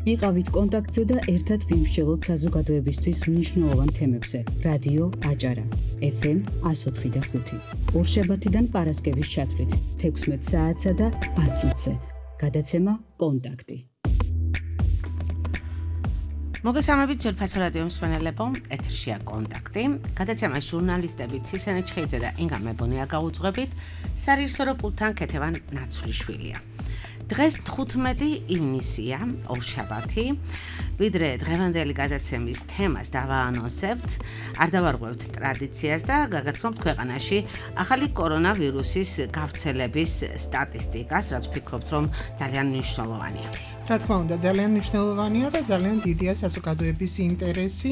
იყავით კონტაქტზე და ერთად ვიმსჯელოთ საზოგადოებისთვის მნიშვნელოვან თემებზე. რადიო აჭარა, FM 104.5. ორშაბათიდან პარასკევის ჩათვლით 16 საათსა და 10 წუთზე. გადაცემა კონტაქტი. მოგესალმებით ძვირფასო რადიო მსმენელებო, ეთერშია კონტაქტი. გადაცემას ჟურნალისტები ცისენე ჩხეიძე და ინგა მებონია გაუძღვებით, სარეჟისორო პულტთან ქეთევან ნაცვლიშვილია. დღეს 15 ივნისია, ორშაბათი, ვიდრე დღევანდელი გადაცემის თემას დავაანონსებთ, არ დავარღვევთ ტრადიციას და გაგაცნობთ ქვეყანაში ახალი კორონავირუსის გავრცელების სტატისტიკას, რაც ვფიქრობთ, რომ ძალიან მნიშვნელოვანია. რა თქმა უნდა, ძალიან მნიშვნელოვანია და ძალიან დიდია საზოგადოების ინტერესი.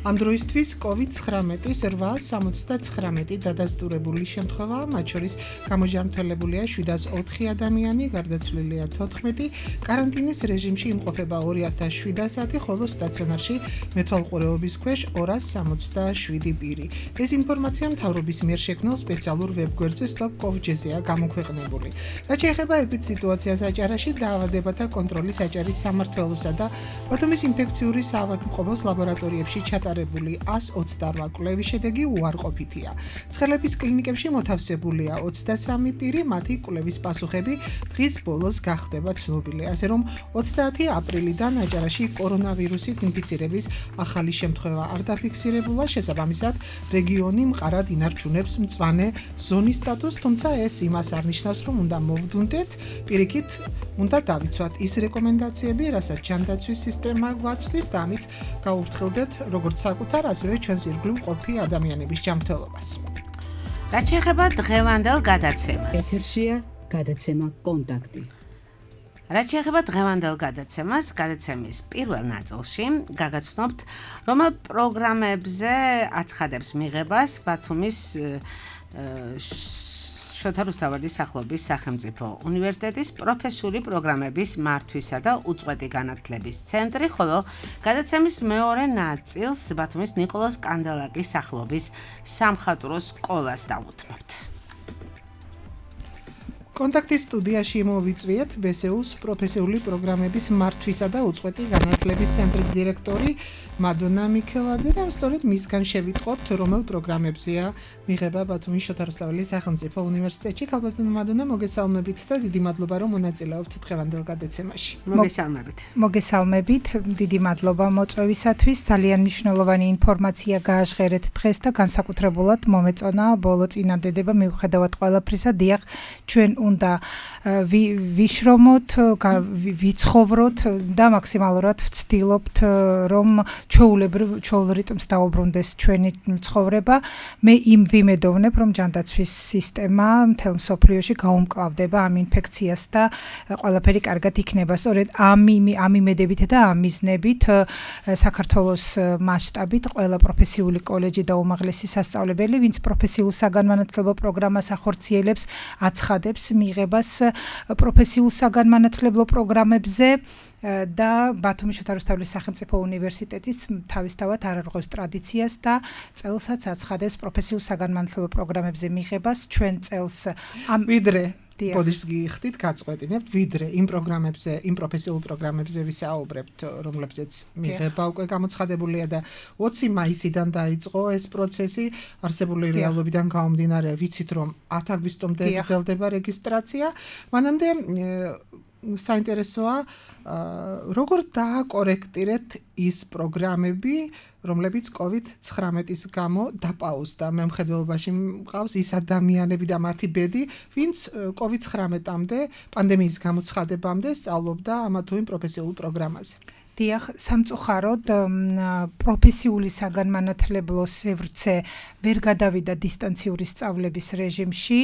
ამ დროისთვის COVID-19-ის 879 დადასტურებული შემთხვევაა, მათ შორის გამოჯანმრთელებულია 704 ადამიანი, გარდაცვლილია 14, კარანტინის რეჟიმში იმყოფება 2700, ხოლო სტაციონარში მეთვალყურეობის ქვეშ 267 პირი. ეს ინფორმაცია მთავრობის მიერ შექმნილ სპეციალურ ვებგვერდზე stop.covid-ზე გამოქვეყნებული. რაც შეეხება ეპიდსიტუაციას აჭარაში, დაავადებათა კონტროლის აჭარის სამმართველოსა და ბათუმის ინფექციური საავადმყოფოს ლაბორატორიებში ჩატარებული 128 კვლევის შედეგი უარყოფითია. ცხელების კლინიკებში მოთავსებულია 23 პირი, მათი კვლევის პასუხები დღის ბოლოს გახდება ცნობილი, ასე რომ 30 აპრილიდან აჭარაში კორონავირუსით ინფიცირების ახალი შემთხვევა არ დაფიქსირებულა, შესაბამისად რეგიონი მყარად ინარჩუნებს მწვანე ზონის სტატუსს, თუმცა ეს იმას არ ნიშნავს, რომ უნდა მოვდუნდეთ, პირიქით უნდა დავიცვათ ის რეკომენდაციები, რასაც ჯანდაცვის სისტემა გვაწვდის და ამით გავუფრთხილდეთ როგორც საკუთარ, ასევე ჩვენს ირგვლივ მყოფი ადამიანების ჯანმრთელობას. რაც შეეხება დღევანდელ გადაცემას. ეთერშია გადაცემა კონტაქტი. რაც შეეხება დღევანდელ გადაცემას, გადაცემის პირველ ნაწილში გაგაცნობთ, რომელ პროგრამებზე აცხადებს მიღებას ბათუმის შოთა რუსთაველის სახელობის სახელმწიფო უნივერსიტეტის პროფესიული პროგრამების მართვისა და უწყვეტი განათლების ცენტრი, ხოლო გადაცემის მეორე ნაწილს ბათუმის ნიკოლოზ კანდელაკის სახელობის სამხატვრო სკოლას დავუთმობთ. კონტაქტის სტუდიაში მოვიწვიეთ ბესეუს პროფესიული პროგრამების მართვისა და უწყვეტი განათლების ცენტრის დირექტორი მადონა მიქელაძე და სწორედ მისგან შევიტყობთ, რომელ პროგრამებზეა მიღება ბათუმის შოთა რუსთაველის სახელმწიფო უნივერსიტეტში. ქალბატონო მადონა, მოგესალმებით და დიდი მადლობა, რომ მონაწილეობთ დღევანდელ გადაცემაში. მოგესალმებით. მოგესალმებით, დიდი მადლობა მოწვევისათვის. ძალიან მნიშვნელოვანი ინფორმაცია გააჟღერეთ დღეს და განსაკუთრებულად მომეწონა ბოლო წინადადება მიუხედავად ყველაფრისა. დიახ, ჩვენ უნდა ვიშრომოთ, ვიცხოვროთ და მაქსიმალურად ვცდილობთ, რომ ჩვეულებრივ რიტმს დაუბრუნდეს ჩვენი ცხოვრება. მე იმ ვიმედოვნებ, რომ ჯანდაცვის სისტემა მთელ მსოფლიოში გაუმკლავდება ამ ინფექციას და ყველაფერი კარგად იქნება. სწორედ ამ იმედებით და ამ მიზნებით საქართველოს მასშტაბით ყველა პროფესიული კოლეჯი და უმაღლესი სასწავლებელი, ვინც პროფესიულ საგანმანათლებლო პროგრამას ახორციელებს, აცხადებს მიღებას პროფესიულ საგანმანათლებლო პროგრამებზე და ბათუმის შოთა რუსთაველის სახელმწიფო უნივერსიტეტიც თავისთავად არ არღვევს ტრადიციას და წელსაც აცხადებს პროფესიულ საგანმანათლებლო პროგრამებზე მიღებას. ჩვენ წელს ვიდრე ბოდიშს გიხდით, გაწყვეტინებთ, ვიდრე იმ პროგრამებზე, იმ პროფესიულ პროგრამებზე ვისაუბრებთ, რომლებზეც მიღება უკვე გამოცხადებულია და 20 მაისიდან დაიწყო ეს პროცესი, არსებული რეალობიდან გამომდინარე, ვიცით, რომ 10 აგვისტომდე გრძელდება რეგისტრაცია. მანამდე საინტერესოა, როგორ დააკორექტირეთ ის პროგრამები, რომლებიც COVID-19-ის გამო დაპაუზდა. მემხედველობაში მყავს ის ადამიანები და მათი ბედი, ვინც COVID-19-მდე, პანდემიის გამოცხადებამდე სწავლობდა ამა თუ იმ პროფესიულ პროგრამაზე. დიახ, სამწუხაროდ პროფესიული საგანმანათლებლო სივრცე ვერ გადავიდა დისტანციური სწავლების რეჟიმში.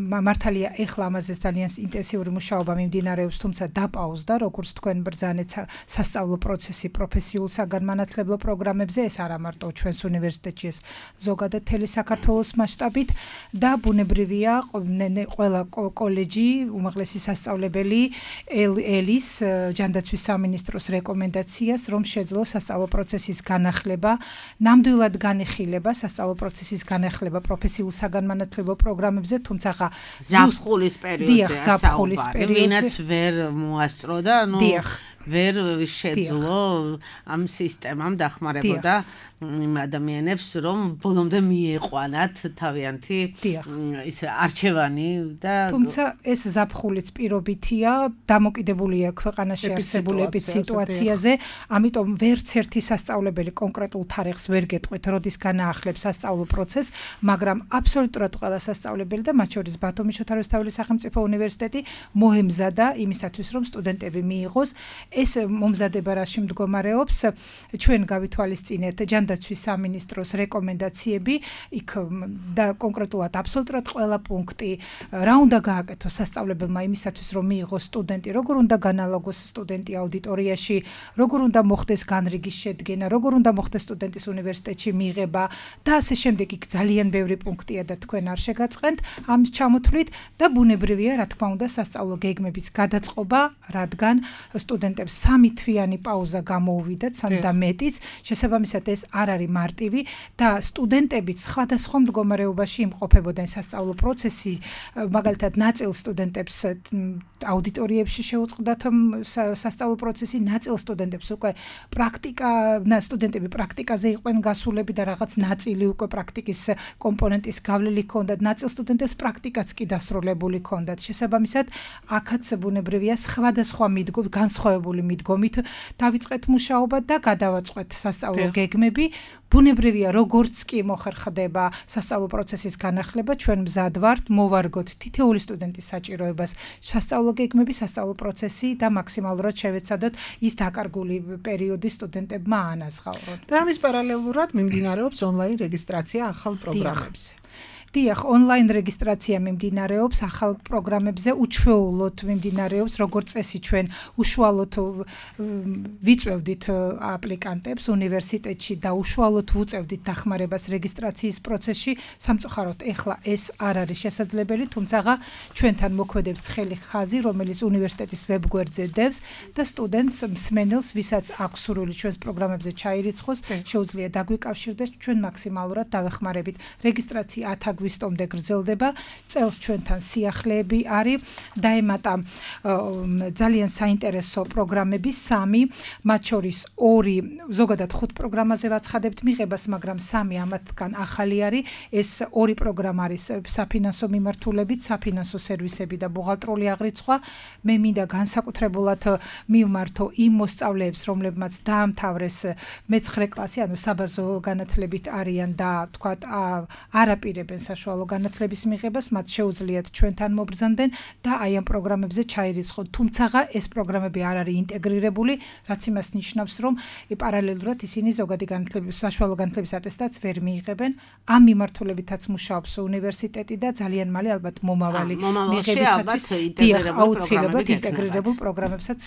მართალია, ეხლა ამაზე ძალიან ინტენსიური მუშაობა მიმდინარეობს, თუმცა დაპაუზდა, როგორც თქვენ ბრძანეთ, სასწავლო პროცესი პროფესიულ საგანმანათლებლო პროგრამებზე, ეს არა მარტო ჩვენს უნივერსიტეტში, ეს ზოგადად მთელი საქართველოს მასშტაბით და ბუნებრივია, ყველა კოლეჯი, უმაღლესი სასწავლებელი ელის ჯანდაცვის სამინისტროს რეკომენდაციას, რომ შეძლო სასწავლო პროცესის განახლება, ნამდვილად განიხილება სასწავლო პროცესის განახლება პროფესიულ საგანმანათლებლო პროგრამებზე, თუმცა ზაფხულის პერიოდზე, ზაფხულის პერიოდზე, ვინაც ვერ მოასწრო და ვერ შეძლო ამ სისტემამ დახმარებოდა იმ ადამიანებს, რომ ბოლომდე მიეყვანათ თავიანთი ის არჩევანი და თუმცა ეს ზაფხულიც პირობითია, დამოკიდებულია ქვეყანაში არსებულებით სიტუაციაზე, ამიტომ ვერც ერთი სასწავლებელი კონკრეტულ თარიღს ვერ გეტყვით, როდის განაახლებს სასწავლო პროცესს, მაგრამ აბსოლუტურად ყველა სასწავლებელი და მათ შორის ბათუმის შოთარევსთავის სახელმწიფო უნივერსიტეტი მოემზადა იმისათვის, რომ სტუდენტები მიიღოს. ეს მომზადება რაში მდგომარეობს, ჩვენ გავითვალისწინეთ ჯანდაცვის სამინისტროს რეკომენდაციები, იქ და კონკრეტულად აბსოლუტურად ყველა პუნქტი, რა უნდა გააკეთოს სასწავლებელმა იმისათვის, რომ მიიღოს სტუდენტი, როგორ უნდა განალაგოს სტუდენტი აუდიტორიაში, როგორ უნდა მოხდეს განრიგის შედგენა, როგორ უნდა მოხდეს სტუდენტის უნივერსიტეტში მიღება და ასე შემდეგ. იქ ძალიან ბევრი პუნქტია და თქვენ არ შეგაწყენთ ამის ჩამოთვლით და ბუნებრივია, რა თქმა უნდა, სასწავლო გეგმების გადაწყობა, რადგან სტუდენტებს 3 თვიანი პაუზა გამოუვიდათ, 3 და მეტიც, შესაბამისად ეს არ არის მარტივი და სტუდენტებიც სხვადასხვა მდგომარეობაში იმყოფებოდნენ სასწავლო პროცესი, მაგალითად ნაწილ სტუდენტებს აუდიტორიებში შეუწყდათ სასწავლო პროცესი, ნაწილ სტუდენტებს უკვე სტუდენტები პრაქტიკაზე იყვნენ გასულები და რაღაც ნაწილი უკვე პრაქტიკის კომპონენტის გავლილი ჰქონდათ, ნაწილ სტუდენტებს პრაქტიკაც კი დასრულებული ჰქონდათ. შესაბამისად, აქაც ბუნებრივია სხვადასხვა განსხვავებული მიდგომით დავიწყეთ მუშაობა და გადავაწყვეთ სასწავლო გეგმები. ბუნებრივია, როგორც კი მოხერხდება სასწავლო პროცესის განახლება, ჩვენ მზად ვართ მოვარგოთ თითოეული სტუდენტის საჭიროებას სასწავლო გეგმები, სასწავლო პროცესი და მაქსიმალურად შევეცადოთ ის დაკარგული პერიოდი სტუდენტებმა აანაზღაურონ. და ამის პარალელურად მიმდინარეობს ონლაინ რეგისტრაცია ახალ პროგრამებზე. დიახ, ონლაინ რეგისტრაცია მიმდინარეობს ახალ პროგრამებზე, უჩვეულოდ მიმდინარეობს, როგორც წესი ჩვენ უშუალოდ ვიწევდით აპლიკანტებს უნივერსიტეტში და უშუალოდ ვუწევდით დახმარებას რეგისტრაციის პროცესში. სამწუხაროდ ეხლა ეს არ არის შესაძლებელი, თუმცა ჩვენთან მოქმედებს ხელი ხაზი, რომელიც უნივერსიტეტის ვებგვერდზე დევს და სტუდენტს მსმენელს, ვისაც აქვს სურვილი ჩვენს პროგრამებზე ჩაირიცხოს, შეუძლია დაგვიკავშირდეს, ჩვენ მაქსიმალურად დავეხმარებით. რეგისტრაცია 10 აგვისტომდე გრძელდება, წელს ჩვენთან სიახლეები არის, დაემატა ძალიან საინტერესო პროგრამები 3, მათ შორის 2, ზოგადად 5 პროგრამაზე ვაცხადებთ მიღებას, მაგრამ 3 ამათგან ახალი არის, ეს 2 პროგრამა არის საფინანსო მიმართულებით, საფინანსო სერვისები და ბუღალტრული აღრიცხვა. მე მინდა განსაკუთრებულად მივმართო იმ მოსწავლეებს, რომლებმაც დაამთავრეს მე-9 კლასი, ანუ საბაზო განათლებით არიან და თქვათ არაპირებენ საშუალო განათლების მიღებას, მათ შეუძლიათ ჩვენთან მობრძანდნენ და აი ამ პროგრამებზე ჩაირიცხონ. თუმცა ეს პროგრამები არ არის ინტეგრირებული, რაც იმას ნიშნავს, რომ პარალელურად ისინი ზოგადი განათლების, საშუალო განათლების ატესტატს ვერ მიიღებენ. ამ მიმართულებითაც მუშაობს უნივერსიტეტი და ძალიან მალე ალბათ მომავალი მიღებისათვის აუცილებლად ინტეგრირებულ პროგრამებსაც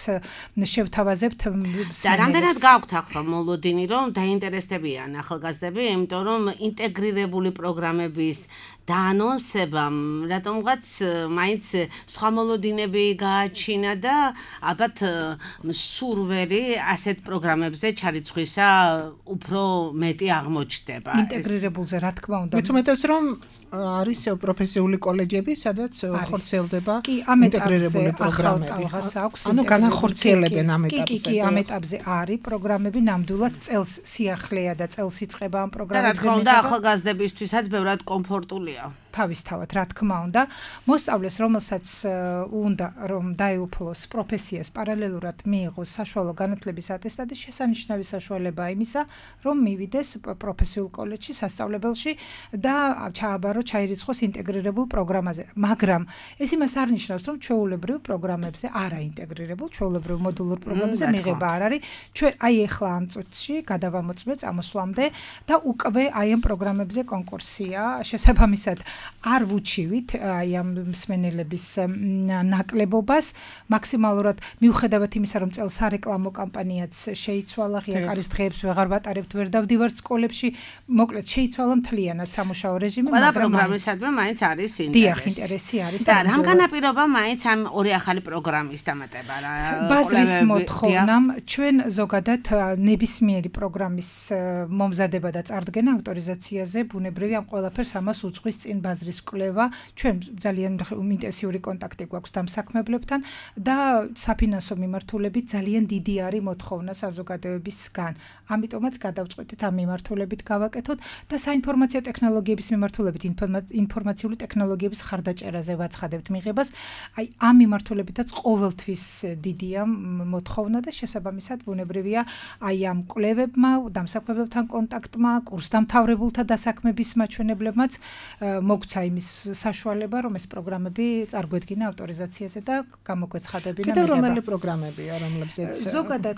შევთავაზებთ. და რამდენად გაქვთ ახლა მოლოდინი, რომ დაინტერესდებიან ახალგაზრდები, იმიტომ რომ ინტეგრირებული პროგრამების დაანონსებამ რატომღაც მაინც სხვა მოლოდინები გააჩინა და ალბათ სურველი ასეთ პროგრამებზე ჩარიცხვისა უფრო მეტი აღმოჩნდება. ინტეგრირებულზე რა თქმა უნდა. მით უმეტეს რომ არის პროფესიული კოლეჯები, სადაც ხორციელდება ინტეგრირებული პროგრამები. ანუ განახორციელებენ ამ ეტაპზე. კი, ამ ეტაპზე არის პროგრამები, ნამდვილად წელს სიახლეა და წელს იწყება ამ პროგრამებზე. და რა თქმა უნდა, ახალგაზრდებისთვისაც ბევრად კომფორტულია. თავისთავად, რა თქმა უნდა, მოსწავლეს, რომელსაც უნდა რომ დაეუფლოს პროფესიას, პარალელურად მიიღოს საშუალო განათლების ატესტატი, შესანიშნავი საშუალებაა იმისა, რომ მივიდეს პროფესიულ კოლეჯში, სასწავლებელში და ჩაირიცხოს ინტეგრირებულ პროგრამაზე. მაგრამ ეს იმას არ ნიშნავს, რომ ჩვეულებრივ პროგრამებზე არა ინტეგრირებულ, ჩვეულებრივ მოდულურ პროგრამებზე მიღება არ არის. ჩვენ აი ახლა ამ წუთში გადავამოწმეთ წამოსვლამდე და უკვე აი ამ პროგრამებზე კონკურსია, შესაბამისად არ ვუჩივით აი ამ მსმენელების ნაკლებობას, მაქსიმალურად მიუხედავად იმისა, რომ წელს სარეკლამო კამპანიაც შეიცვალა, ღიაკარის დღეებს ვეღარ ვატარებთ, ვერ დავდივართ სკოლებში, მოკლედ შეიცვალა მთლიანად სამუშაო რეჟიმი, მაგრამ პროგრამისადმი მაინც არის ინტერესი. დიახ, ინტერესი არის. და რამ განაპირობა მაინც ამ 2 ახალი პროგრამის დამატება რა? ბაზრის მოთხოვნამ ჩვენ ზოგადად ნებისმიერი პროგრამის მომზადება და წარდგენა ავტორიზაციაზე ბუნებრივია ამ ყველაფერს ამას უძღვის წინ ახალგაზრდის კვლევა, ჩვენ ძალიან ინტენსიური კონტაქტი გვაქვს დამსაქმებლებთან და საფინანსო მიმართულებით ძალიან დიდი არის მოთხოვნა საზოგადოებისგან. ამიტომაც გადავწყვეტით ამ მიმართულებით გავაკეთოთ და საინფორმაციო ტექნოლოგიების მიმართულებით ინფორმაციული ტექნოლოგიების ხარდაჭერაზე ვაცხადებთ მიღებას. აი ამ მიმართულებითაც ყოველთვის დიდია მოთხოვნა და შესაბამისად ბუნებრივია აი ამ კვლევებმა, დამსაქმებლებთან კონტაქტმა, კურსდამთავრებულთა დასაქმების მაჩვენებლებმაც მოგცა იმის საშუალება, რომ ეს პროგრამები წარგვედგინა ავტორიზაციაზე და გამოგვეცხადებინა მიღება. კიდევ რომელი პროგრამებია, რომლებზეც ზოგადად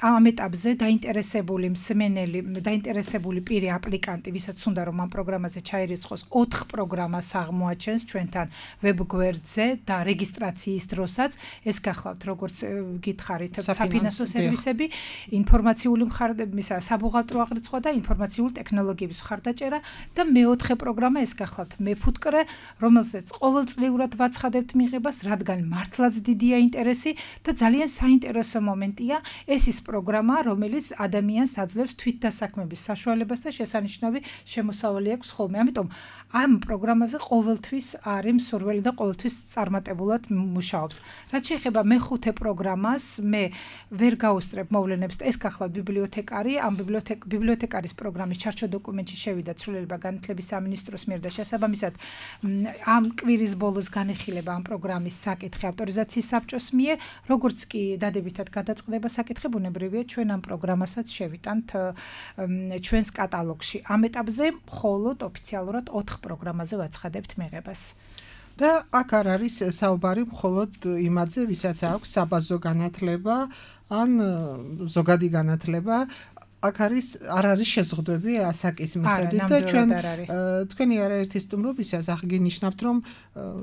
ამ ეტაპზე დაინტერესებული მსმენელი, დაინტერესებული პირი აპლიკანტი, ვისაც უნდა რომ ამ პროგრამაზე ჩაირიცხოს, 4 პროგრამას აღმოაჩენს ჩვენთან ვებგვერდზე და რეგისტრაციის დროსაც ეს გახლავთ როგორც გითხარით საფინანსო სერვისები, ინფორმაციული მხარდაჭერა, საბუღალტრო აღრიცხვა და ინფორმაციული ტექნოლოგიების მხარდაჭერა და მეოთხე პროგრამა ეს გახლავთ მეფუტკრე, რომელზეც ყოველწლიურად ვაცხადებთ მიღებას, რადგან მართლაც დიდია ინტერესი და ძალიან საინტერესო მომენტია, ეს ის პროგრამა, რომელიც ადამიანს აძლევს თვითდასაქმების საშუალებას და შესანიშნავი შემოსავალი აქვს ხოლმე. ამიტომ ამ პროგრამაზე ყოველთვის არის მსურველი და ყოველთვის წარმატებულად მუშაობს. რაც შეეხება მეხუთე პროგრამას, მე ვერ გაუსწრებ მოვლენებს და ეს გახლავთ ბიბლიოთეკარი, ამ ბიბლიოთეკარის პროგრამის ჩარჩო დოკუმენტში შევიდა ცვლილება განათლების სამინისტროს მიერ და შესაბამისად ამ კვირის ბოლოს განიხილება ამ პროგრამის საკითხი ავტორიზაციის საბჭოს მიერ, როგორც კი დადებითად გადაწყდება საკითხი, ბუნებრივია ჩვენ ამ პროგრამასაც შევიტანთ ჩვენს კატალოგში. ამ ეტაპზე მხოლოდ ოფიციალურად 4 პროგრამაზე ვაცხადებთ მიღებას. და აქ არ არის საუბარი მხოლოდ იმაზე, ვისაც აქვს საბაზო განათლება ან ზოგადი განათლება. აქ არ არის შეზღუდვები ასაკის მიხედვით და ჩვენ თქვენი არაერთი სტუმრობისას აღგინიშნავთ, რომ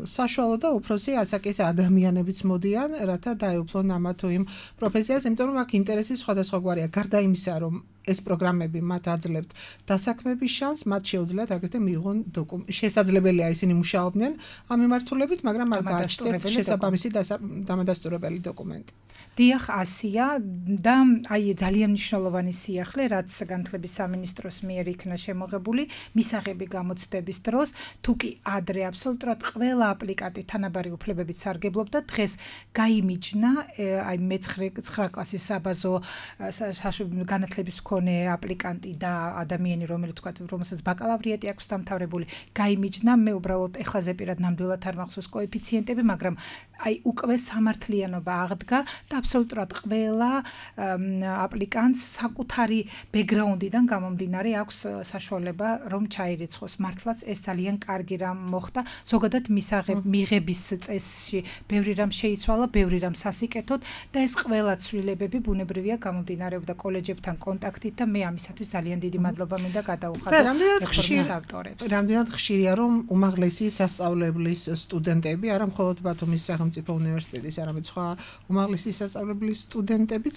საშუალო და უფროსი ასაკის ადამიანებიც მოდიან, რათა დაეუფლონ ამა თუ იმ პროფესიას, იმიტომ რომ აქ ინტერესი სხვადასხვაგვარია. გარდა იმისა, რომ ეს პროგრამები მათ აძლევთ დასაქმების შანსს, მათ შეუძლიათ აგრეთვე მიიღონ შესაძლებელია ისინი მუშაობდნენ ამ მიმართულებით, მაგრამ არ გააჩნიათ შესაბამისი დამადასტურებელი დოკუმენტი. დიახ, ასია და აი ძალიან მნიშვნელოვანი სიახლე, რაც განათლების სამინისტროს მიერ იქნა შემოღებული მისაღები გამოცდების დროს, თუ კი ადრე აბსოლუტურად ყველა აპლიკანტი თანაბარი უფლებებით სარგებლობდა, დღეს გაიმიჯნა აი მე-9 კლასის საბაზო განათლების მქონე აპლიკანტი და ადამიანი, რომელიც თქვა, რომელსაც ბაკალავრიატი აქვს დამთავრებული, გაიმიჯნა, მე უბრალოდ ეხლაზე პირად ნამდვილად არ მახსოვს კოეფიციენტები, მაგრამ აი უკვე სამართლიანობა აღდგა და აბსოლუტურად ყველა აპლიკანტს საკუთარი ბექგრაუნდიდან გამომდინარე აქვს საშუალება რომ ჩაირიცხოს. მართლაც ეს ძალიან კარგი რამ მოხდა. ზოგადად მიღების წესში ბევრი რამ შეიცვალა, ბევრი რამ სასიკეთოდ და ეს ყველა ცვლილებები ბუნებრივია გამომდინარეობდა კოლეჯებთან კონტაქტით და მე ამისათვის ძალიან დიდი მადლობა მინდა გადაუხადო რეფორმის ავტორებს. რამდენად ხშირია რომ უმაღლესი სასწავლებლის სტუდენტები, არა მხოლოდ ბათუმის სახელმწიფო უნივერსიტეტის, არამედ სხვა უმაღლესი სასწავლებლის სტუდენტებიც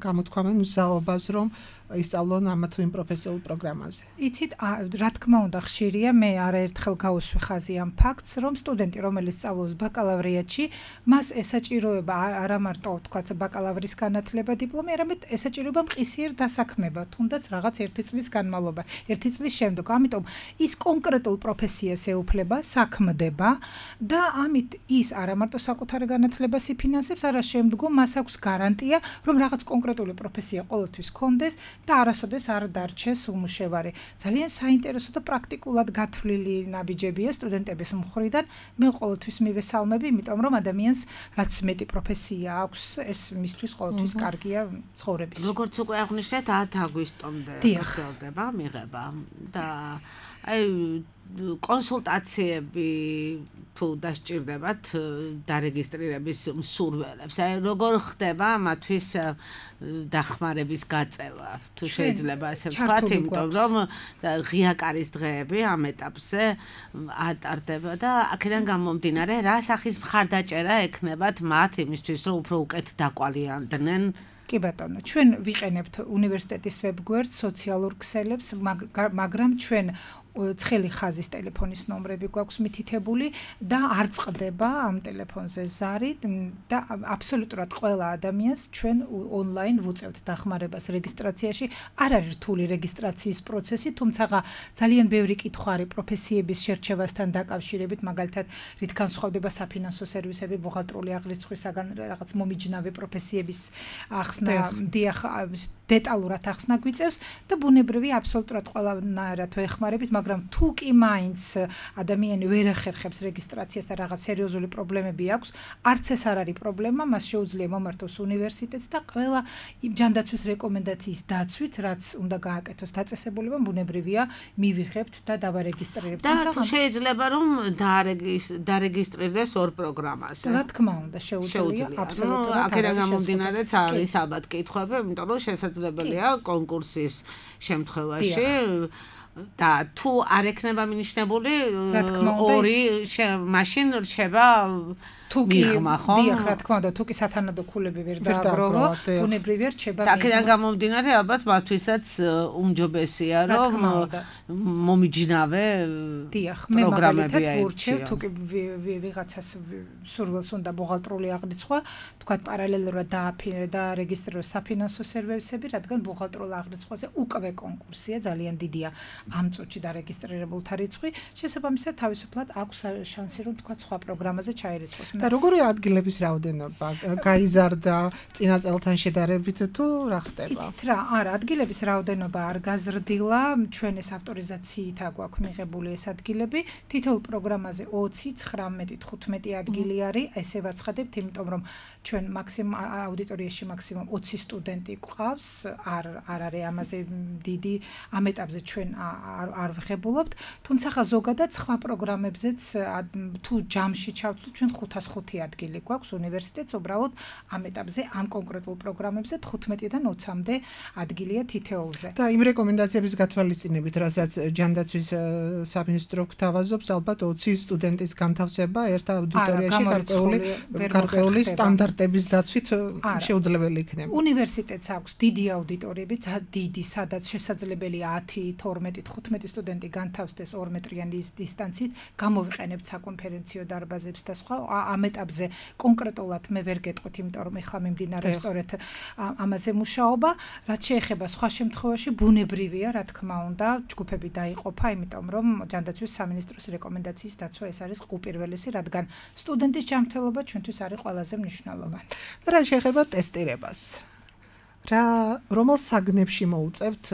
გამოთქვამენ მზაობას რომ ისწავლონ ამა თუ იმ პროფესიულ პროგრამაზე. იცით, რა თქმა უნდა ხშირია, მე არაერთხელ გავუსვი ხაზი ამ ფაქტს, რომ სტუდენტი, რომელიც სწავლობს ბაკალავრიატში, მას ესაჭიროება არა მარტო თქვაც ბაკალავრის განათლება, დიპლომი, არამედ ესაჭიროება მყისიერ დასაქმება, თუნდაც რაღაც 1 წლის განმავლობა, 1 წლის შემდგომ. ამიტომ ის კონკრეტულ პროფესიას ეუფლება, საქმდება და ამით ის არა მარტო საკუთარი განათლებას იფინანსებს, არა შემდგომ მას აქვს გარანტია, რომ რაღაც კონკრეტული პროფესია ყოველთვის ჰქონდეს და არასოდეს არ დარჩეს უმუშევარი. ძალიან საინტერესო და პრაქტიკულად გათვლილი ნაბიჯებია სტუდენტების მხრიდან. მე ყოველთვის მივესალმები, იმიტომ რომ ადამიანს რაც მეტი პროფესია აქვს, ეს მისთვის ყოველთვის კარგია ცხოვრებაში. როგორც უკვე აღნიშნეთ, 10 აგვისტომდე გრძელდება მიღება და აი კონსულტაციები თუ დასჭირდებათ დარეგისტრირების მსურველებს. აი როგორ ხდება მათთვის დახმარების გაწევა, თუ შეიძლება ასე ვთქვათ, იმიტომ რომ ღია კარის დღეები ამ ეტაპზე ატარდება და აქედან გამომდინარე, რა სახის მხარდაჭერა ექნებათ მათ იმისთვის, რომ უფრო უკეთ დაკვალიანდნენ. კი ბატონო, ჩვენ ვიყენებთ უნივერსიტეტის ვებგვერდს, სოციალურ ქსელებს, მაგრამ ჩვენ ცხელი ხაზის ტელეფონის ნომრები გვაქვს მითითებული და არ წყდება ამ ტელეფონზე ზარი და აბსოლუტურად ყველა ადამიანს ჩვენ ონლაინ ვუწევთ დახმარებას რეგისტრაციაში. არ არის რთული რეგისტრაციის პროცესი, თუმცა ძალიან ბევრი კითხვა არის პროფესიების შერჩევასთან დაკავშირებით, მაგალითად, რით განსხვავდება საფინანსო სერვისები, ბუღალტრული აღრიცხვისაგან რაღაც მომიჯნავე პროფესიების ახსნა, დეტალურად ახსნა გვიწევს და ბუნებრივი აბსოლუტურად ყველანაირად ვეხმარებით, მაგრამ თუ კი მაინც ადამიანი ვერ ახერხებს რეგისტრაციას და რაღაც სერიოზული პრობლემები აქვს, არც ეს არ არის პრობლემა, მას შეუძლია მომართოს უნივერსიტეტს და ყველა ჯანდაცვის რეკომენდაციის დაცვით, რაც უნდა გააკეთოს დაწესებულება, ბუნებრივია, მივიღებთ და დავარეგისტრირებთ. და თუ შეიძლება რომ დარეგისტრირდეს ორ პროგრამაზე. რა თქმა უნდა, შეუძლია, აბსოლუტურად. აქედან გამომდინარეც არის ალბათ კითხვები, იმიტომ რომ შესაძლებელია კონკურსის შემთხვევაში და თუ არ ექნება მინიშნებული ორი მაშინ რჩება მიღმა, ხო? დიახ, რა თქმა უნდა, თუ კი სათანადო ქულები ვერ დააგროვო, ბუნებრივია რჩება მიღმა. აქედან გამომდინარე ალბათ მათთვისაც უმჯობესია, რომ მომიჯნავე დიახ, მე მაგალითად ვურჩევ, თუ კი ვიღაცას სურვილს უნდა ბუღალტრული აღრიცხვა, თქვათ პარალელურად დაარეგისტრიროს საფინანსო სერვისები, რადგან ბუღალტრულ აღრიცხვაზე უკვე კონკურსია, ძალიან დიდია ამ წუთში დარეგისტრირებულთა რიცხვი, შესაბამისად თავისუფლად აქვს შანსი, რომ თქვათ სხვა პროგრამაზე ჩაირიცხოს. და როგორი ადგილების რაოდენობა გაიზარდა წინა წელთან შედარებით თუ რა ხდება? იცით რა, არა, ადგილების რაოდენობა არ გაზრდილა, ჩვენ ეს ავტორიზაციით აგვაქვს მიღებული ეს ადგილები, თითოეულ პროგრამაზე 20, 19, 15 ადგილი არის, ესე ვაცხადებთ, იმიტომ რომ ჩვენ აუდიტორიაში მაქსიმუმ 20 სტუდენტი გვყავს, არ არის ამაზე დიდი ამ ეტაპზე ჩვენ არ ვღებულობთ, თუმცა ზოგადად სხვა პროგრამებზეც თუ ჯამში ჩავთვლით, ჩვენ 505 ადგილი გვაქვს უნივერსიტეტს, უბრალოდ ამ ეტაპზე ამ კონკრეტულ პროგრამებზე 15-დან 20-მდე ადგილია თითოეულზე. და იმ რეკომენდაციების გათვალისწინებით, რასაც ჯანდაცვის სამინისტრო გვთავაზობს, ალბათ 20 სტუდენტის განთავსება ერთ აუდიტორიაში გარკვეული სტანდარტების დაცვით შეუძლებელი იქნება. უნივერსიტეტს აქვს დიდი აუდიტორიები, დიდი, სადაც შესაძლებელია 10, 12, 15 სტუდენტი განთავსდეს 2 მეტრიანი დისტანცით, გამოვიყენებთ საკონფერენციო დარბაზებს და სხვა. ამ ეტაპზე კონკრეტულად მე ვერ გეტყვით, იმიტომ რომ ეხლა მიმდინარეობს სწორედ ამაზე მუშაობა, რაც შეეხება სხვა შემთხვევაში ბუნებრივია, რა თქმა უნდა, ჯგუფები დაიყოფა, იმიტომ რომ ჯანდაცვის სამინისტროს რეკომენდაციის დაცვა ეს არის უპირველესი, რადგან სტუდენტის ჯანმრთელობა ჩვენთვის არის ყველაზე მნიშვნელოვანი. რა შეეხება ტესტირებას? რომელ საგნებში მოუწევთ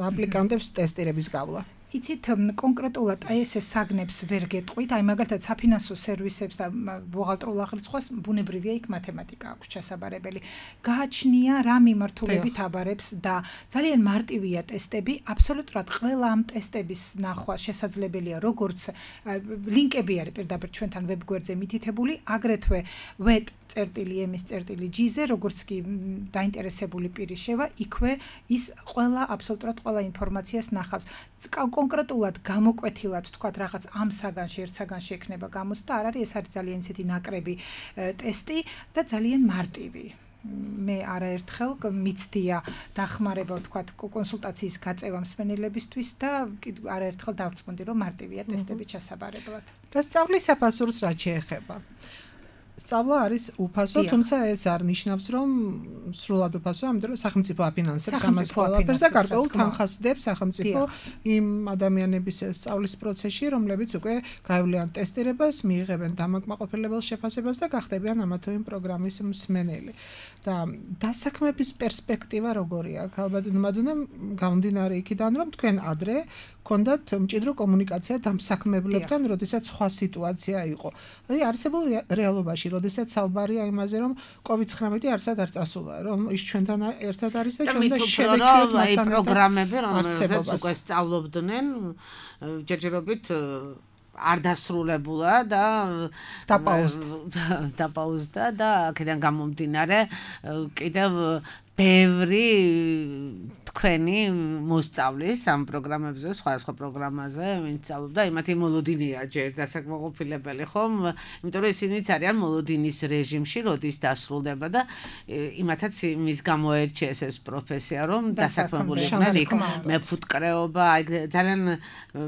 აპლიკანტებს ტესტირების გავლა? იცით, კონკრეტულად აი ეს საგნებს ვერ გეტყვით, აი მაგალითად საფინანსო სერვისებს და ბუღალტრულ აღრიცხვას ბუნებრივია იქ მათემატიკა აქვს ჩასაბარებელი. გააჩნია რა მიმართულებით აბარებს და ძალიან მარტივია ტესტები, აბსოლუტურად ყველა ამ ტესტების ნახვა შესაძლებელია, როგორც ლინკები არის პირდაპირ ჩვენთან ვებგვერდზე მითითებული, აგრეთვე wet.ms.gz-ზე, როგორც კი დაინტერესებული პირი შევა, იქვე ის აბსოლუტურად ყველა ინფორმაციას ნახავს. კონკრეტულად გამოკვეთილად თქვათ რაღაც ამ საგანში, ერთ საგანში ექნება გამოცდა, არ არის, ეს არის ძალიან ისეთი ნაკრები ტესტი და ძალიან მარტივი. მე არაერთხელ მიცდია დახმარება თქვათ კონსულტაციის გაწევა მსმენელებისთვის და არაერთხელ დავწყვეტი, რომ მარტივია ტესტები ჩასაბარებლად. და სწავლის საფასურს რა შეეხება? სწავლა არის უფასო, თუმცა ეს არ ნიშნავს, რომ სრულად უფასოა, ამიტომ რომ სახელმწიფო აფინანსებს ამას ყველაფერს და გარკვეულ თანხას დებს სახელმწიფო იმ ადამიანების სწავლის პროცესში, რომლებიც უკვე გაევლიან ტესტირებას, მიიღებენ დამაკმაყოფილებელ შეფასებას და გახდებიან ამა თუ იმ პროგრამის მსმენელი. და დასაქმების პერსპექტივა როგორია? ალბათ გამომდინარე იქიდან, რომ თქვენ ადრე გქონდათ მჭიდრო კომუნიკაცია დამსაქმებლებთან, როდესაც სხვა სიტუაცია იყო. აი არსებულ რეალობაში, როდესაც საუბარია იმაზე, რომ COVID-19 არსად არ წასულა, რომ ის ჩვენთან ერთად არის და ჩვენ და შევეჩვიოთ მასთან პროგრამები, რომელზეც უკვე სწავლობდნენ, ჯერჯერობით არ დასრულებულა და დაპაუზდა და აქედან გამომდინარე კიდევ ბევრი თქვენი მოსწავლის ამ პროგრამებზე, სხვა პროგრამაზე, ვინც სწავლობდა, იმათი მოლოდინია ჯერ დასაკმაყოფილებელი, ხომ? იმიტომ რომ ისინიც არიან მოლოდინის რეჟიმში, როდის დასრულდება და იმათაც იმის გამოერჩიეს ეს პროფესია, რომ დასაქმებული იყვნენ იქ მეფუტკრეობა, ძალიან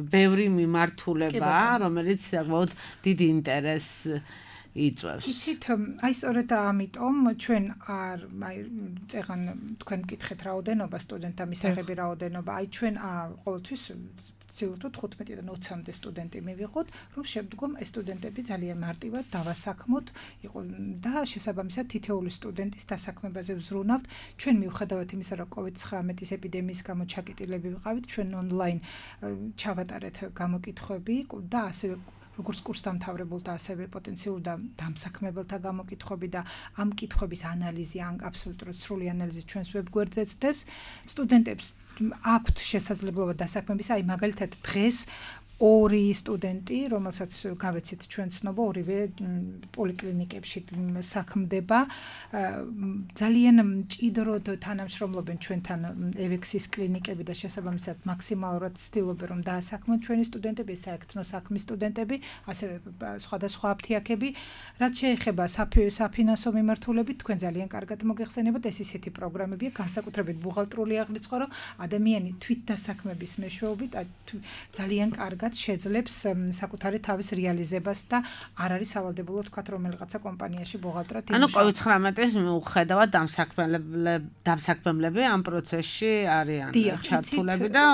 ბევრი მიმართულება, რომელიც საკმაოდ დიდი ინტერესს იწვევს. იცით, აი სწორედ ამიტომ ჩვენ წეგან თქვენ მკითხეთ რაოდენობა სტუდენტთა მისაღები რაოდენობა, აი ჩვენ ყოველთვის ვცდილობთ 15-დან 20-მდე სტუდენტი მივიღოთ, რომ შემდგომ ეს სტუდენტები ძალიან მარტივად დავასაქმოთ და შესაბამისად თითოეული სტუდენტის დასაქმებაზე ვზრუნავთ. ჩვენ მიუხედავად იმისა, რომ COVID-19 ეპიდემიის გამო ჩაკეტილები ვიყავით, ჩვენ ონლაინ ჩავატარეთ გამოკითხვები და ასევე როგორც კურსდამთავრებულთა, ასევე პოტენციურ დამსაქმებელთა გამოკითხვები და ამ კითხვების ანალიზი, აბსოლუტურად სრული ანალიზი ჩვენს ვებგვერდზე ცდებს. სტუდენტებს აქვთ შესაძლებლობა დასაქმების, აი მაგალითად დღეს ორი სტუდენტი, რომელსაც გავეცით ჩვენ ცნობა, ორივე პოლიკლინიკებში საქმდება, ძალიან მჭიდროდ თანამშრომლობენ ჩვენთან ევექსის კლინიკები და შესაბამისად მაქსიმალურად ცდილობენ რომ დაასაქმონ ჩვენი სტუდენტები, საერთო საქმის სტუდენტები, ასევე სხვადასხვა აფთიაქები. რაც შეეხება საფინანსო მიმართულებით, თქვენ ძალიან კარგად მოგეხსენებათ, ეს ისეთი პროგრამებია, განსაკუთრებით ბუღალტრული აღრიცხვა, რომ ადამიანი თვით დასაქმების მეშვეობით ძალიან კარგად შეძლებს საკუთარი თავის რეალიზებას და არ არის სავალდებულო თქვა რომელიღაცა კომპანიაში ბუღალტრად იმუშავა. ანუ COVID-19-ის მიუხედავად დამსაქმებლები ამ პროცესში არიან ჩართულები და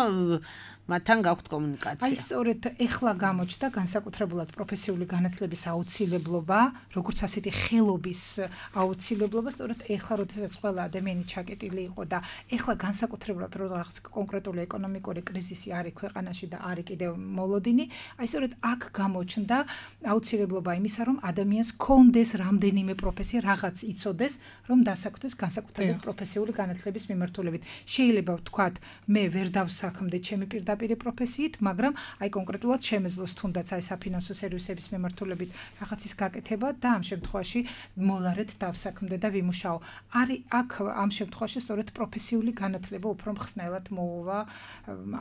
მათთან გაქვთ კომუნიკაცია. აი სწორედ ეხლა გამოჩნდა განსაკუთრებულად პროფესიული განათლების აუცილებლობა, როგორც ასეთი ხელობის აუცილებლობა, სწორედ ეხლა როდესაც ყველა ადამიანი ჩაკეტილი იყო და ეხლა განსაკუთრებულად რაღაც კონკრეტული ეკონომიკური კრიზისი არის ქვეყანაში და არის კიდევ მოლოდინი, აი სწორედ აქ გამოჩნდა აუცილებლობა იმისა, რომ ადამიანს კონდეს რამდენიმე პროფესია, რაღაც იცოდეს, რომ დასაქმდეს განსაკუთრებით პროფესიული განათლების მიმართულებით. შეიძლება ვთქვათ, მე ვერ დავსაქმდე ჩემი პირდაპირ პროფესიით, მაგრამ აი კონკრეტულად შემეძლოს თუნდაც აი საფინანსო სერვისების მიმართულებით რაღაცის გაკეთება და ამ შემთხვევაში მოლარეთ დავსაქმდე და ვიმუშაო. არის აქ ამ შემთხვევაში სწორედ პროფესიული განათლება უფრო მხსნელად მოუვა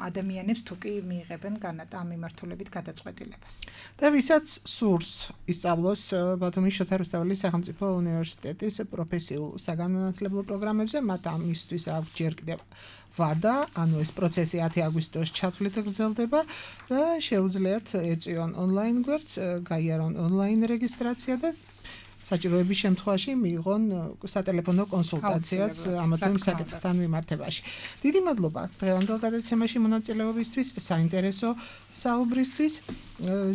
ადამიანებს, თუ კი მიიღებენ ამ მიმართულებით გადაწყვეტილებას. და ვისაც სურს ისწავლოს ბათუმის შოთა რუსთაველის სახელმწიფო უნივერსიტეტის პროფესიულ საგანმანათლებლო პროგრამებზე, მათ ამისთვის აქვს ჯერ კიდევ ვადა, ანუ ეს პროცესი 10 აგვისტოს ჩათვლით გრძელდება და შეუძლიათ ეწვიონ ონლაინ გვერდს, გაიარონ ონლაინ რეგისტრაცია და საჭიროების შემთხვევაში მიიღონ სატელეფონო კონსულტაციაც ამ თუ იმ საკითხთან მიმართებაში. დიდი მადლობა დღევანდელ გადაცემაში მონაწილეობისთვის, საინტერესო საუბრისთვის.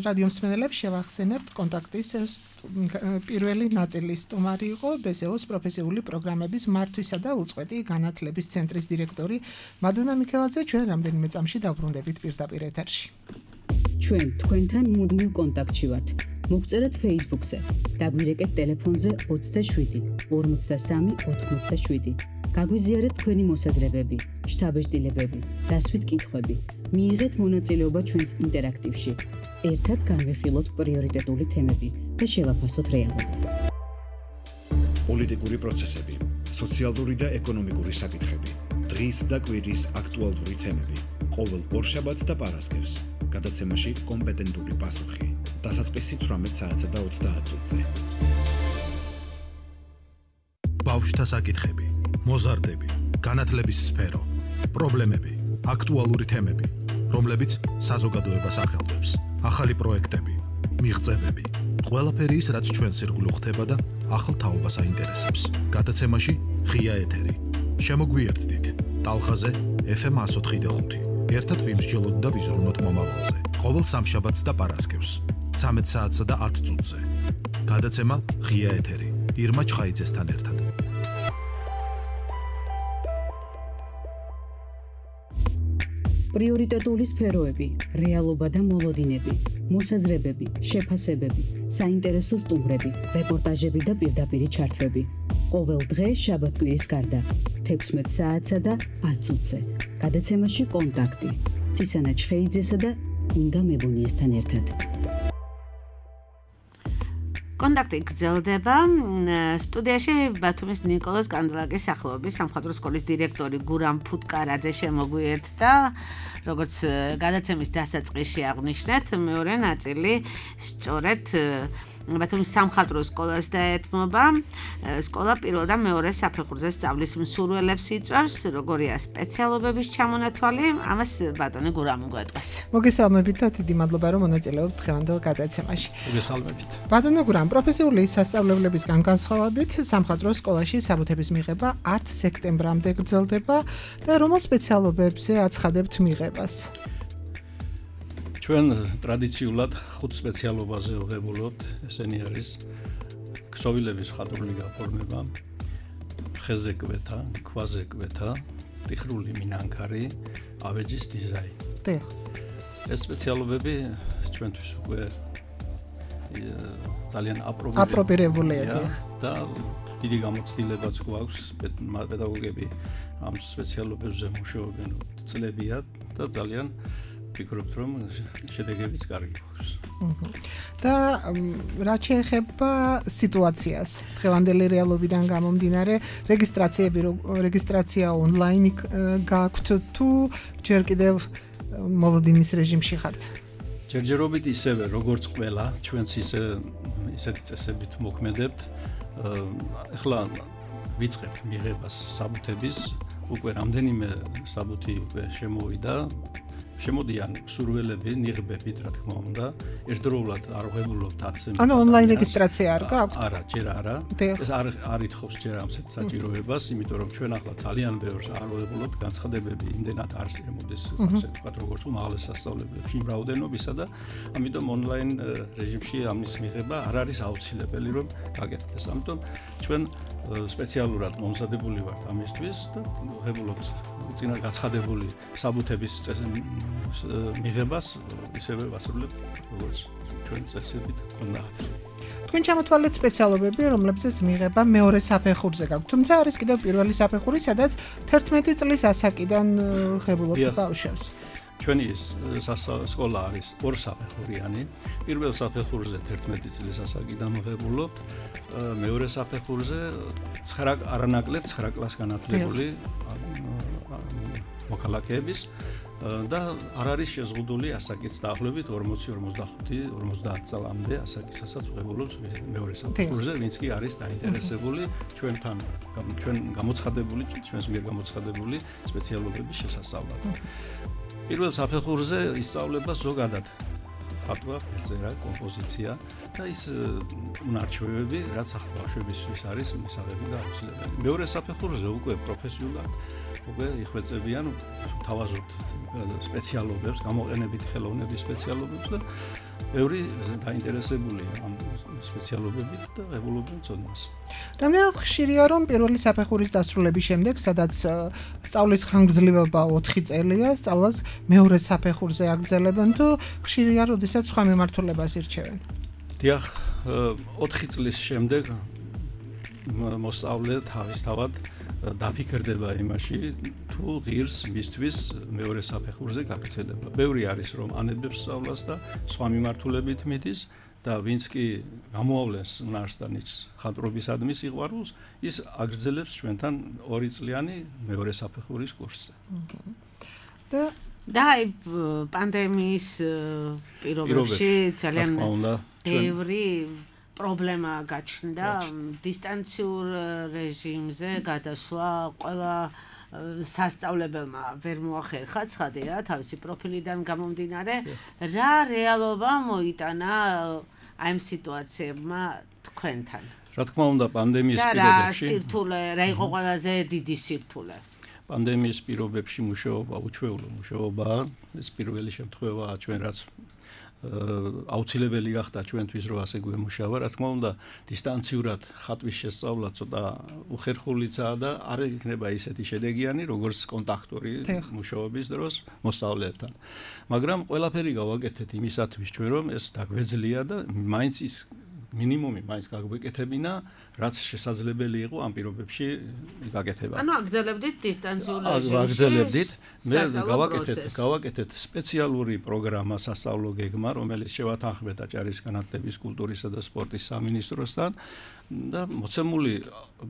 რადიო მსმენელებს შევახსენებთ კონტაქტის პირველი ნაწილის სტუმარი იყო BSEO-ს პროფესიული პროგრამების მართვისა და უწყვეტი განათლების ცენტრის დირექტორი მადონა მიქელაძე. ჩვენ რამდენიმე წამში დავბრუნდებით პირდაპირ ეთერში. ჩვენ თქვენთან მუდმივ კონტაქტში ვართ. მოგწერეთ Facebook-ზე, დაგვირეკეთ ტელეფონზე 27 53 87. გაგვიზიარეთ თქვენი მოსაზრებები, შთაბეჭდილებები, დასვით კითხვები. მიიღეთ მონაწილეობა ჩვენს ინტერაქტივში. ერთად განვიხილოთ პრიორიტეტული თემები და შევაფასოთ რეალობა. პოლიტიკური პროცესები, სოციალური და ეკონომიკური საკითხები, დღის და კვირის აქტუალური თემები. ყოველ ორშაბათს და პარასკევს გადაცემაში კომპეტენტური პასუხი. დასაწყისი 18 საათსა და 30 წუთზე. ბავშვთა საკითხები, მოზარდები, განათლების სფერო, პრობლემები, აქტუალური თემები, რომლებიც საზოგადოებას ახელვებს, ახალი პროექტები, მიღწევები, ყველაფერი ის, რაც ჩვენს ირგვლივ ხდება და ახალ თაობას აინტერესებს. გადაცემაში ღია ეთერი. შემოგვიერთდით ტალღაზე FM 104.5. ერთად ვიმსჯელოთ და ვიზრუნოთ მომავალზე. ყოველ სამშაბათს და პარასკევს 13 საათსა და 10 წუთზე. გადაცემა ღია ეთერი. ირმა ჩხაიძესთან ერთად. პრიორიტეტული სფეროები, რეალობა და მოლოდინები, მოსაზრებები, შეფასებები, საინტერესო სტუმრები, რეპორტაჟები და პირდაპირი ჩართვები. ყოველ დღე შაბათ-კვირის გარდა 16 საათსა და 10 წუთზე. გადაცემაში კონტაქტი ცისანა ჩხეიძესა და ინგა მებონიესთან ერთად. კონტაქტი გრძელდება. სტუდიაში ბათუმის ნიკოლოზ კანდელაკის სახელობის სამხატვრო სკოლის დირექტორი გურამ ფუტკარაძე შემოგვიერთდა. როგორც გადაცემის დასაწყისში აღვნიშნეთ, მეორე ნაწილი სწორედ ბათუმის სამხატვრო სკოლას დაეთმობა. სკოლა პირველ და მეორე საფეხურზე სწავლის მსურველებს იწვევს, როგორია სპეციალობების ჩამონათვალი, ამას ბატონი გურამ გვეტყვის. მოგესალმებით და დიდი მადლობა რომ მონაწილეობთ დღევანდელ გადაცემაში. მოგესალმებით. ბატონო გურამ, პროფესიული სასწავლებლებისგან განსხვავებით სამხატვრო სკოლაში საბუთების მიღება 10 სექტემბრამდე გრძელდება და რომელ სპეციალობებზე აცხადებთ მიღებას? ჩვენ ტრადიციულად 5 სპეციალობაზე ვღებულობთ, ესენი არის ქსოვილების მხატვრული გაფორმება, ხეზე კვეთა, ქვაზე კვეთა, ტიხრული მინანქარი, ავეჯის დიზაინი. დიახ. ეს სპეციალობები ჩვენთვის უკვე ძალიან აპრობირებულია და დიდი გამოცდილებაც გვაქვს, პედაგოგები ამ სპეციალობებზე მუშაობენ წლებია და ძალიან ვფიქრობთ, რომ შედეგებიც კარგი გვაქვს. და რაც შეეხება სიტუაციას, დღევანდელი რეალობიდან გამომდინარე, რეგისტრაცია ონლაინ გაქვთ თუ ჯერ კიდევ მოლოდინის რეჟიმში ხართ? ჯერჯერობით ისევე, როგორც ყველა, ჩვენც ისეთი წესებით მოქმედებთ. ახლა ვიწყებთ მიღებას საბუთების, უკვე რამდენიმე საბუთი უკვე შემოვიდა. შემოდიან სურველები, ნიღბებით, რა თქმა უნდა, ერთდროულად არ ვღებულობთ 10-ზე. ანუ ონლაინ რეგისტრაცია არ გაქვთ? არა, ჯერ არა. ეს არ ითხოვს ჯერ ამ საჭიროებას, იმიტომ რომ ჩვენ ახლა ძალიან ბევრს არ ვღებულობთ, განცხადებები იმდენად არ შემოდის, ასე ვთქვათ, როგორც უმაღლეს სასწავლებლებში იმ რაოდენობისა და ამიტომ ონლაინ რეჟიმში ამის მიღება არ არის აუცილებელი, რომ გაკეთდეს. ამიტომ ჩვენ სპეციალურად მომზადებული ვართ ამისთვის და ვღებულობთ წინა გაცხადებული საბუთების მიღებას ისევე ვასრულებთ, როგორც ჩვენ წესებით გქონდათ. თქვენ ჩამოთვალეთ სპეციალობები, რომლებზეც მიღება მეორე საფეხურზე გაქვთ, თუმცა არის კიდევ პირველი საფეხური, სადაც 11 წლის ასაკიდან ღებულობთ ბავშვებს. ჩვენი სკოლა არის ორსაფეხურიანი. პირველ საფეხურზე 11 წლის ასაკიდან ვღებულობთ, მეორე საფეხურზე არანაკლებ 9 კლასს განათლებული მოქალაქეების და არ არის შეზღუდული ასაკიც დაახლოებით 40-45-50 წლამდე ასაკისასაც ვღებულობთ მეორე საფეხურზე, ვინც კი არის დაინტერესებული ჩვენს მიერ გამოცხადებული სპეციალობების შესასწავლად. პირველ საფეხურზე ისწავლება ზოგადად ხატვა, ფერწერა, კომპოზიცია და ის უნარჩვევები, რაც ბავშვებისთვის არის მისაღები და აუცილებელი. მეორე საფეხურზე უკვე პროფესიულად უკვე იხვეწებიან თავაზობთ სპეციალობებს, გამოყენებით ხელოვნების სპეციალობებს და ბევრი დაინტერესებულია ამ სპეციალობებით და ღებულობენ ცოდნას. რამდენად ხშირია, რომ პირველი საფეხურის დასრულების შემდეგ, სადაც სწავლის ხანგრძლივობა 4 წელია, სწავლას მეორე საფეხურზე აგრძელებენ თუ ხშირია, როდესაც სხვა მიმართულებას ირჩევენ? დიახ, 4 წლის შემდეგ მოსწავლე თავისთავად დაფიქრდება იმაში, თუ ღირს მისთვის მეორე საფეხურზე გაგრძელება. ბევრი არის, რომ ანებებს სწავლას და სხვა მიმართულებით მიდის და ვინც კი გამოავლენს უნარს და ნიჭს ხატვრობისადმი სიყვარულს, ის აგრძელებს ჩვენთან 2 წლიანი მეორე საფეხურის კურსზე. და პანდემიის პირობებში ძალიან ბევრი პრობლემა გაჩნდა დისტანციურ რეჟიმზე გადასვლა ყველა სასწავლებელმა ვერ მოახერხა ცხადია თავისი პროფილიდან გამომდინარე რა რეალობა მოიტანა აი ამ სიტუაციებმა თქვენთან რა თქმა უნდა პანდემიის პირობებში რა სირთულე რა იყო ყველაზე დიდი სირთულე პანდემიის პირობებში მუშაობა უჩვეულო მუშაობაა ეს პირველი შემთხვევაა ჩვენ რაც აუცილებელი გახდა ჩვენთვის რომ ასე გვემუშავა რა თქმა უნდა დისტანციურად ხატვის შესწავლა ცოტა უხერხულიცაა და არ იქნება ისეთი შედეგიანი როგორც კონტაქტური მუშაობის დროს მოსწავლეებთან მაგრამ ყველაფერი გავაკეთეთ იმისათვის ჩვენ რომ ეს დაგვეძლია და მაინც ის მინიმუმი მაინც გაგვეკეთებინა რაც შესაძლებელი იყო ამ პირობებში გაკეთება. ანუ აგრძელებდით დისტანციურ აგრძელებდით. მე გავაკეთეთ სპეციალური პროგრამა სასწავლო გეგმა, რომელიც შევათანხმდა ჭარის განათლების, კულტურისა და სპორტის სამინისტროსთან და მოცემული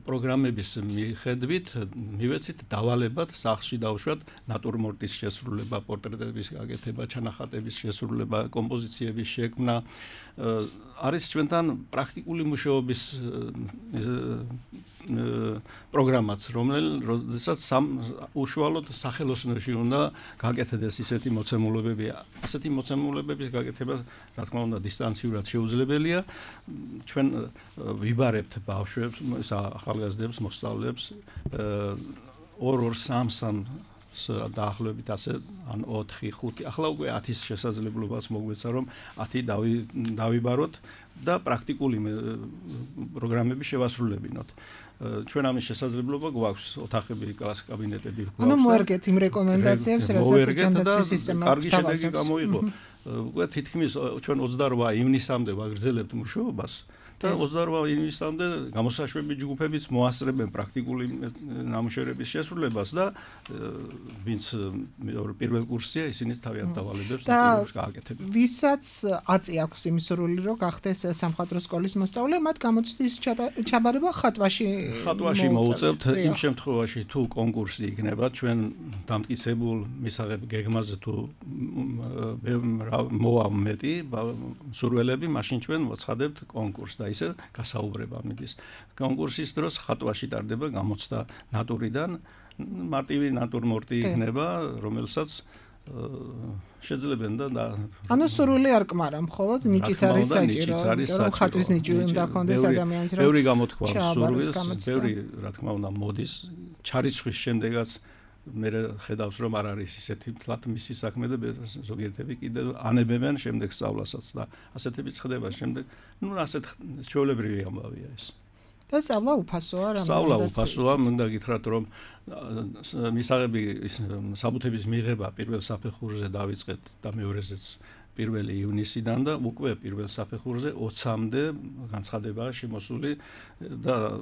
პროგრამების მიხედვით მივეცით დავალებად სახლში დავუშვათ ნატურმორტის შესრულება, პორტრეტების გაკეთება, ჩანახატების შესრულება, კომპოზიციების შექმნა. არის ჩვენთან პრაქტიკული მუშაობის პროგრამაც, რომელსაც უშუალოდ სახელოსნოში უნდა გაკეთდეს ისეთი მოცემულობები. ასეთი მოცემულობების გაკეთება, რა თქმა უნდა, დისტანციურად შეუძლებელია. ჩვენ ვიბარებთ ბავშვებს, ახალგაზრდებს, მოსწავლეებს 2-3 დაახლოებით ასე ან 4-5 ახლა უკვე 10-ის შესაძლებლობას მოგვეცა რომ 10 დავიბაროთ და პრაქტიკული პროგრამები შევასრულებინოთ. ჩვენ ამის შესაძლებლობა გვაქვს ოთახები, კლასის კაბინეტები გვაქვს. ანუ მოერგეთ იმ რეკომენდაციებს, რასაც ჯანდაცვის სისტემა კარგი შედეგი გამოიღო. უკვე თითქმის ჩვენ 28 ივნისამდე ვაგრძელებთ მუშაობას. და 28 ივნისამდე გამოსაშვები ჯგუფებიც მოასწრებენ პრაქტიკული ნამუშევრების შესრულებას და ვინც პირველ კურსია, ისინიც თავიანთ დავალებებს გააკეთებენ. ვისაც აწი აქვს იმ სურვილი, რომ გახდეს სამხატვრო სკოლის მოსწავლე, მათ გამოცდის ჩაბარება ხატვაში მოუწევთ. იმ შემთხვევაში თუ კონკურსი იქნება, ჩვენ დამტკიცებულ მისაღებ გეგმაზე თუ მოვა მეტი სურველები, მაშინ ჩვენ მოცხადებთ კონკურსს და ისე გასაუბრება მიდის. კონკურსის დროს ხატვაში ტარდება გამოცდა ნატურიდან, მარტივი ნატურმორტი იქნება, რომელსაც შეძლებენ და ანუ სურვილი არ კმარა, მხოლოდ ნიჭიც არის საჭირო, რომ ხატვის ნიჭი უნდა ჰქონდეს ადამიანს, რომ ბევრი გამოთქვა სურვილს, ბევრი რა თქმა უნდა მოდის, ჩარიცხვის შემდეგაც მე ხედავს რომ არ არის ისეთი თლათ მისი საქმე და ზოგიერთები კიდევ ანებებენ შემდეგ სწავლასაც და ასეთებიც ხდება შემდეგ. ნუ ასეთ ჩვეულებრივი ამბავია ეს. და სწავლა უფასოა რა? სწავლა უფასოა, მინდა გითხრათ რომ მისაღები საბუთების მიღება პირველ საფეხურზე დავიწყეთ და მეორეზეც 1 ივნისიდან და უკვე პირველ საფეხურზე 20-მდე განცხადებაა შემოსული და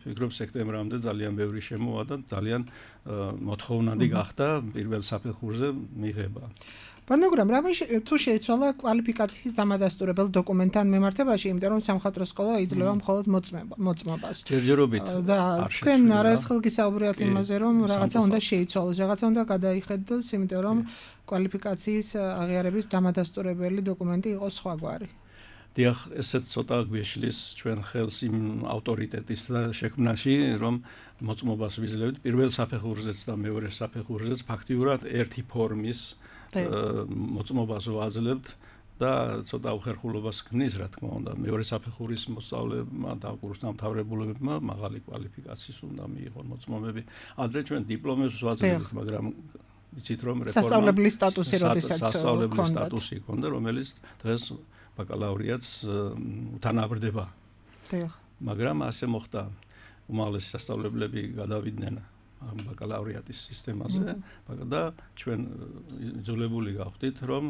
ვფიქრობ სექტემბრამდე ძალიან ბევრი შემოვა და ძალიან მოთხოვნადი გახდა პირველ საფეხურზე მიღება. მაგრამ თუ შეიცვალა კვალიფიკაციის დამადასტურებელ დოკუმენტთან მიმართებაში, იმიტომ რომ სამხატვრო სკოლა იძლევა მხოლოდ მოწმობას. ჯერჯერობით და თქვენ არაერთხელ გისაუბრეთ იმაზე, რომ რაღაცა უნდა შეიცვალოს, რაღაცა უნდა გადაიხედოს, იმიტომ რომ კვალიფიკაციის აღიარების დამადასტურებელი დოკუმენტი იყოს სხვაგვარი. დიახ, ესეც ცოტა გვეშლის ჩვენ ხელს იმ ავტორიტეტის შექმნაში, რომ მოწმობას ვიძლევთ პირველ საფეხურზეც და მეორე საფეხურზეც ფაქტიურად ერთი ფორმის მოწმობას ვაძლევთ და ცოტა უხერხულობას ქმნის, რა თქმა უნდა, მეორე საფეხურის მოსწავლეებმა და კურსდამთავრებულებმა მაღალი კვალიფიკაციის უნდა მიიღონ მოწმობები. ადრე ჩვენ დიპლომებს ვაძლევთ, მაგრამ იცით რომ სასწავლებლის სტატუსი როდესაც სასწავლებლის სტატუსი ჰქონდა, რომელიც დღეს ბაკალავრიატს უთანაბრდება. მაგრამ ასე მოხდა, უმაღლესი სასწავლებლები გადავიდნენ ბაკალავრიატის სისტემაზე და ჩვენ იძულებული გავხდით, რომ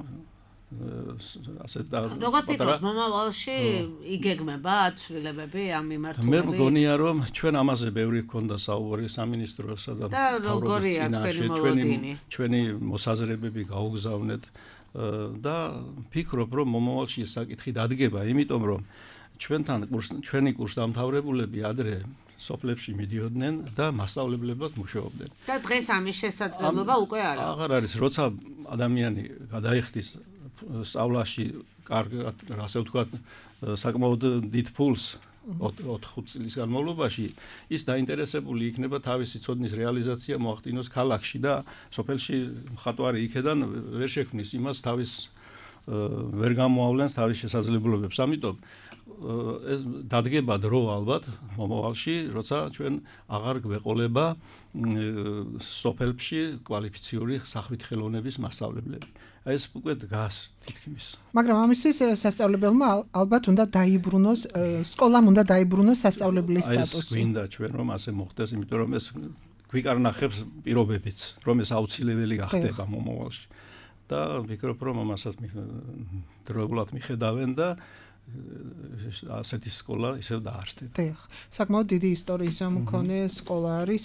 ასეთ და როგორ ფიქრობთ, მომავალში იგეგმება ცვლილებები ამ მიმართულებით? მე მგონია, რომ ჩვენ ამაზე ბევრი ჰქონდა საუბარი სამინისტროსა და როგორია თქვენი მოლოდინი? ჩვენი მოსაზრებები გაუგზავნეთ და ფიქრობ, რომ მომავალში ეს საკითხი დადგება, იმიტომ რომ ჩვენი კურსდამთავრებულები ადრე სოფლებში მიდიოდნენ და მასწავლებლებად მუშაობდნენ. და დღეს ამის შესაძლებლობა უკვე არა. აღარ არის, როცა ადამიანი გადაიხდის სწავლაში კარგად, ასე ვთქვათ, საკმაოდ დიდ ფულს 4-5 წლის განმავლობაში, ის დაინტერესებული იქნება თავისი ცოდნის რეალიზაცია მოახდინოს ქალაქში და სოფელში მხატვარი იქედან ვერ შექმნის იმას თავის ვერ გამოავლენს თავის შესაძლებლობებს. ამიტომ დადგება დრო ალბათ მომავალში, როცა ჩვენ აღარ გვეყოლება სოფელში კვალიფიციური სახვით ხელოვნების მასწავლებლები. ეს უკვე დგას თითქმის. მაგრამ ამისთვის სასწავლებელმა ალბათ უნდა დაიბრუნოს, სკოლამ უნდა დაიბრუნოს სასწავლებლის სტატუსი. ეს გვინდა ჩვენ რომ ასე მოხდეს, იმიტომ რომ ეს გვიკარნახებს პირობებიც, რომ ეს აუცილებელი გახდება მომავალში. და ვფიქრობ, რომ ამასაც დროებულად მიხედავენ და ასეთი სკოლა ისევ დაარსდეთ. დიახ. საკმაოდ დიდი ისტორიის მქონე სკოლა არის.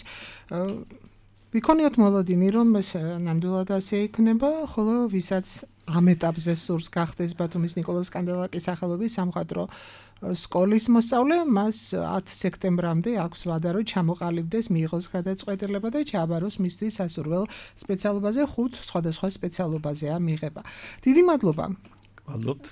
ვიქონიოთ მოლოდინი, რომ ეს ნამდვილად ასე იქნება, ხოლო ვისაც ამ ეტაპზე სურს გახდეს ბათუმის ნიკოლოზ კანდელაკის სახელობის სამხატვრო სკოლის მოსწავლე, მას 10 სექტემბრამდე აქვს ვადა, რომ ჩამოყალიბდეს, მიიღოს გადაწყვეტილება და ჩააბაროს მისთვის სასურველ სპეციალობაზე 5 სხვადასხვა სპეციალობაზეა მიღება. დიდი მადლობა.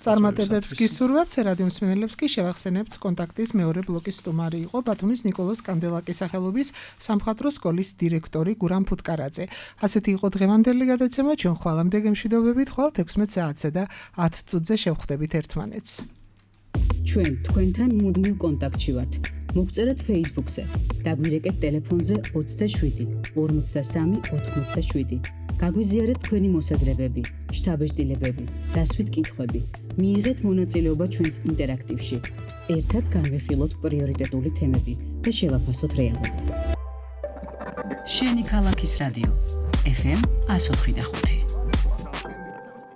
წარმატებებს გისურვებთ, რადიო მსმენელებს კი შევახსენებთ კონტაქტის მეორე ბლოკის სტუმარი იყო ბათუმის ნიკოლოზ კანდელაკის სახელობის სამხატვრო სკოლის დირექტორი გურამ ფუტკარაძე. ასეთი იყო დღევანდელი გადაცემა, ჩვენ ხვალამდე გემშვიდობებით, ხვალ 16 საათზე და 10 წუთზე შევხვდებით ერთმანეთს. ჩვენ თქვენთან მუდმივ კონტაქტში ვართ. მოგწერეთ Facebook-ზე, დაგვირეკეთ ტელეფონზე 27 53 87. გაგვიზიარეთ თქვენი მოსაზრებები, შთაბეჭდილებები, დასვით კითხვები. მიიღეთ მონაწილეობა ჩვენს ინტერაქტივში. ერთად განვიხილოთ პრიორიტეტული თემები და შევაფასოთ რეალობა. შენი ქალაქის რადიო FM 104.5